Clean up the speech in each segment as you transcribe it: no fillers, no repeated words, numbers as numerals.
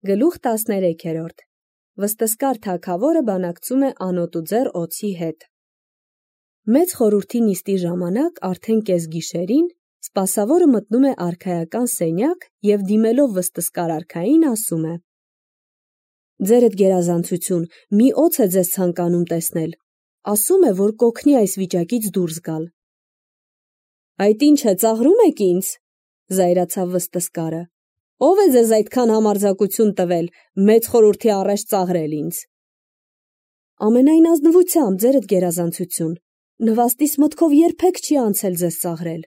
Գլուխ 13 Վստսկար թագավորը բանակցում է անոտուձեռ օձի հետ։ Մեծ խորհրդի նիստի ժամանակ արդեն կեսգիշերին սպասավորը մտնում է արքայական սենյակ և դիմելով վստսկար արքային ասում է. «Ձերդ գերազանցություն, մի օձ է ձեզ ցանկանում տեսնել, ասում է, որ կօգնի այս վիճակից դուրս գալ»։ «Այդ ինչ է, ծաղրում եք ինձ», զայրացավ վստսկարը, «ով է ձեզ այդքան համարձակություն տվել մեծ խորհրդի առաջ ծաղրել ինձ»։ «Ամենայն ազնվությամբ, ձերդ գերազանցություն, նվաստիս մտքով երբեք չի անցել ձեզ ծաղրել»,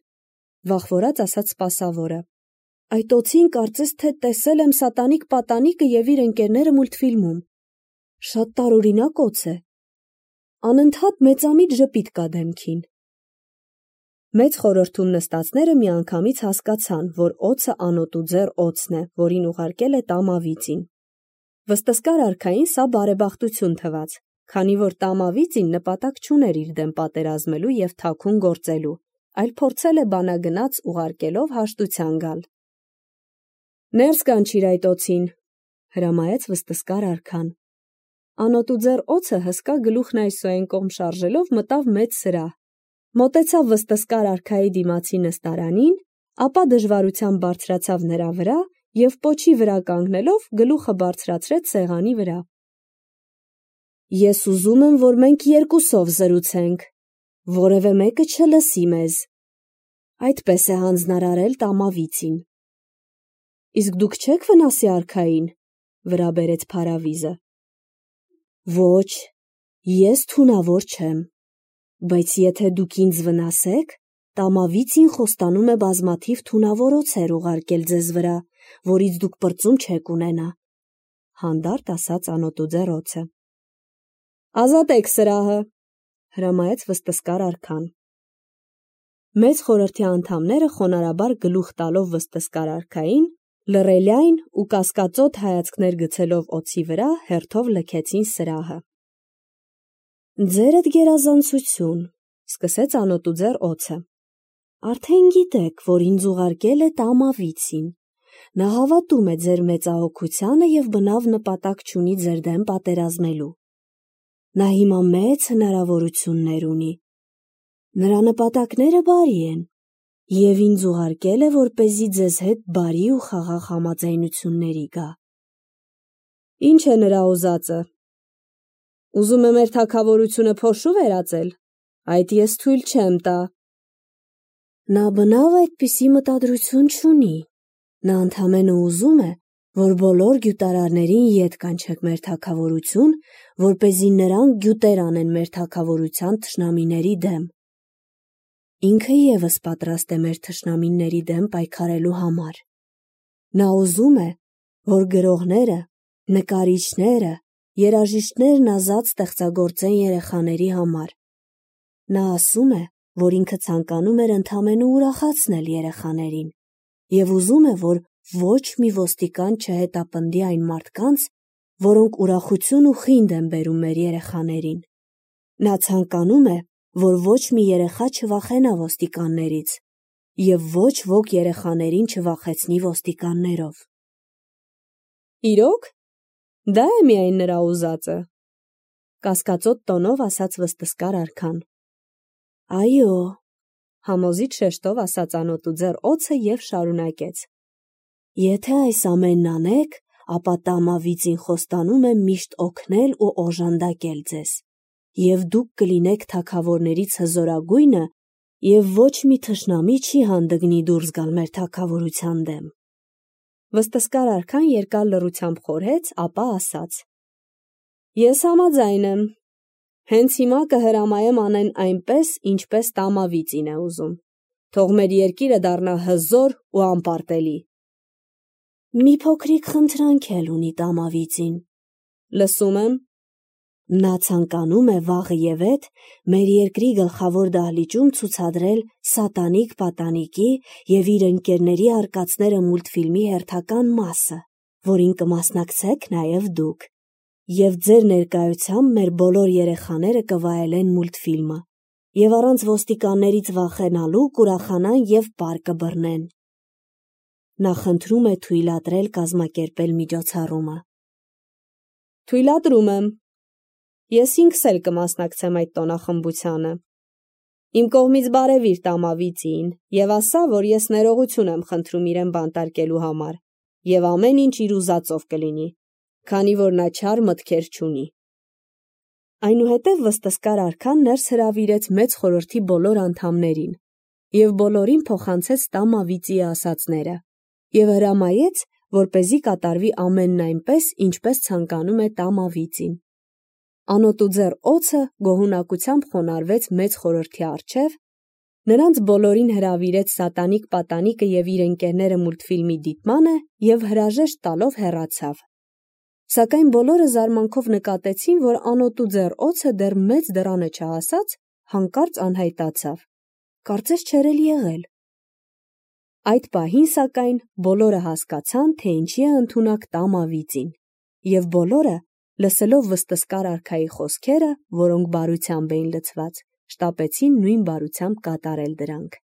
վախվորած ասաց սպասավորը, «այդ օձին կարծես թե տեսել եմ Սատանիկ պատանիկը և իր ընկերները մուլտֆիլմում, շատ տարօրինակ օձ է, անընդհատ մեծամիտ ժպիտ կա դեմքին»։ Մեծ խորհրդում նստածները միանգամից հասկացան, որ օձը անոտուձեռ օձն է, որին ուղարկել է Տամավիծին։ Վստսկար արքային սա բարեբախտություն թվաց, քանի որ Տամավիծին նպատակ չուներ իր դեմ պատերազմելու և թաքուն գործելու, այլ փորձել է բանագնաց ուղարկելով հաշտության գալ։ «Ներս կանչիր այդ օձին», հրամայեց վստսկար արքան։ Անոտուձեռ օձը հսկա գլուխն այսոեն կողմ շարժելով մտավ մեծ սրահ, մոտեցավ վստսկար արքայի դիմացի նստարանին, ապա դժվարությամբ բարձրացավ նրա վրա և պոչի վրա կանգնելով գլուխը բարձրացրեց սեղանի վրա։ «Ես ուզում եմ, որ մենք երկուսով զրուցենք, որևէ մեկը չլսի մեզ», այդպես է հանձնարարել Տամավիծին։ «Իսկ դուք չե՞ք վնասի արքային», վրա բերեց Փարավիզը։ «Ոչ, ես թունավոր չեմ, բայց եթե դուք ինձ վնասեք, Տամավիծին խոստանում է բազմաթիվ թունավոր օձեր ուղարկել ձեզ վրա, որից դուք պրծում չեք ունենա», հանդարտ ասաց անոտուձեռ օձը։ «Ազատեք սրահը», հրամայեց վստսկար արքան։ Մեծ խորհրդի անդամները խոնարհաբար գլուխ տալով վստսկար արքային, լռելյայն ու կասկածոտ հայացքներ գցելով օձի վրա, հերթով լքեցին սրահը։ «Ձերդ գերազանցություն», սկսեց անոտուձեռ օձը, «արդեն գիտեք, որ ինձ ուղարկել է Տամավիծին, նա հավատում է ձեր մեծահոգությանը և բնավ նպատակ չունի ձեր դեմ պատերազմելու։ Նա հիմա մեծ հնարավորություններ ունի։ Նրա նպատակները բարի են և ինձ ուղարկել է, որպեսզի ձեզ հետ բարի ու խաղաղ համաձայնությունների գա»։ «Ինչ է նրա ուզածը, ուզում է մեր թագավորությունը փոշու վերածել, այդ ես թույլ չեմ տա»։ «Նա բնավ այդպիսի մտադրություն չունի, նա ընդամենը ուզում է, որ բոլոր գյուտարարներին ետ կանչեք մեր թագավորություն, որպեսզի նրանք գյուտեր անեն մեր թագավորության թշնամիների դեմ։ Ինքը ևս պատրաստ է մեր թշնամիների դեմ պայքարելու համար։ Նա ուզում է, որ գրողները, նկարիչները, երաժիշտներն ազատ ստեղծագործեն երեխաների համար։ Նա ասում է, որ ինքը ցանկանում էր ընդամենը ուրախացնել երեխաներին և ուզում է, որ ոչ մի ոստիկան չհետապնդի այն մարդկանց, որոնք ուրախություն ու խինդ են բերում մեր երեխաներին։ Նա ցանկանում է, որ ոչ մի երեխա չվախենա ոստիկաններից և ոչ ոք երեխաներին չվախեցնի ոստիկաններով»։ «Իրո՞ք, դա է միայն նրա ուզածը», կասկածոտ տոնով ասաց վստսկար արքան։ «Այո», համոզիչ շեշտով ասաց անոտուձեռ օձը և շարունակեց. «Եթե այս ամենն անեք, ապա Տամավիծին խոստանում է միշտ օգնել ու օժանդակել ձեզ, և դուք կլինեք թագավորներից հզորագույնը և ոչ մի թշնամի չի հանդգնի դուրս գալ մեր թագավորության դեմ»։ Վստսկար արքան երկար լռությամբ խորհեց, ապա ասաց. «Ես համաձայն եմ, հենց հիմա կհրամայեմ անեն այնպես, ինչպես Տամավիծին է ուզում, թող մեր երկիրը դառնա հզոր ու անպարտելի»։ «Մի փոքրիկ խնդրանք էլ ունի Տամավիծին»։ «Լսում եմ»։ «Նա ցանկանում է վաղըևեթ մեր երկրի գլխավոր դահլիճում ցուցադրել Սատանիկ պատանիկի և իր ընկերների արկածները մուլտֆիլմի հերթական մասը, որին կմասնակցեք նաև դուք, և ձեր ներկայությամբ մեր բոլոր երեխաները կվայելեն մուլտֆիլմը և առանց ոստիկաններից վախենալու կուրախանան և պար կբռնեն»։ նա խնդրում է թույլատրել կազմակերպել միջոցառումը։ Թույլատրում եմ։ Ես ինքս էլ կմասնակցեմ այդ տոնախմբությանը։ Իմ կողմից բարևիր տամավիծին եւ ասա, որ ես ներողություն եմ խնդրում իրեն բանտարկելու համար եւ ամեն ինչ իր ուզածով կլինի, քանի որ նա չար մտքեր չունի։ Այնուհետև վստահ արքան ներս հրավիրեց մեծ խորհրդի բոլոր անդամներին եւ բոլորին փոխանցեց տամավիծի ասածները եւ հրամայեց, որպեսզի կատարվի ամենն այնպես, ինչպես ցանկանում է տամավիծին։ Անոտուձեռ օձը գոհունակությամբ խոնարհվեց մեծ խորհրդի առջև, նրանց բոլորին հրավիրեց սատանիկ պատանիկը եւ իր ընկերները մուլտֆիլմի դիտմանը եւ հրաժեշտ տալով հեռացավ։ Սակայն բոլորը զարմանքով նկատեցին, որ անոտուձեռ օձը դեռ մեծ դռանը չհասած, հանկարծ անհայտացավ։ Կարծես չէր էլ եղել։ Այդ պահին, սակայն, բոլորը հասկացան, թե ինչի է ընդունակ տամավիծին, եւ բոլորը, լսելով վստահ արքայի խոսքերը, որոնք բարությամբ էին լցված, շտապեցին նույն բարությամբ կատարել դրանք։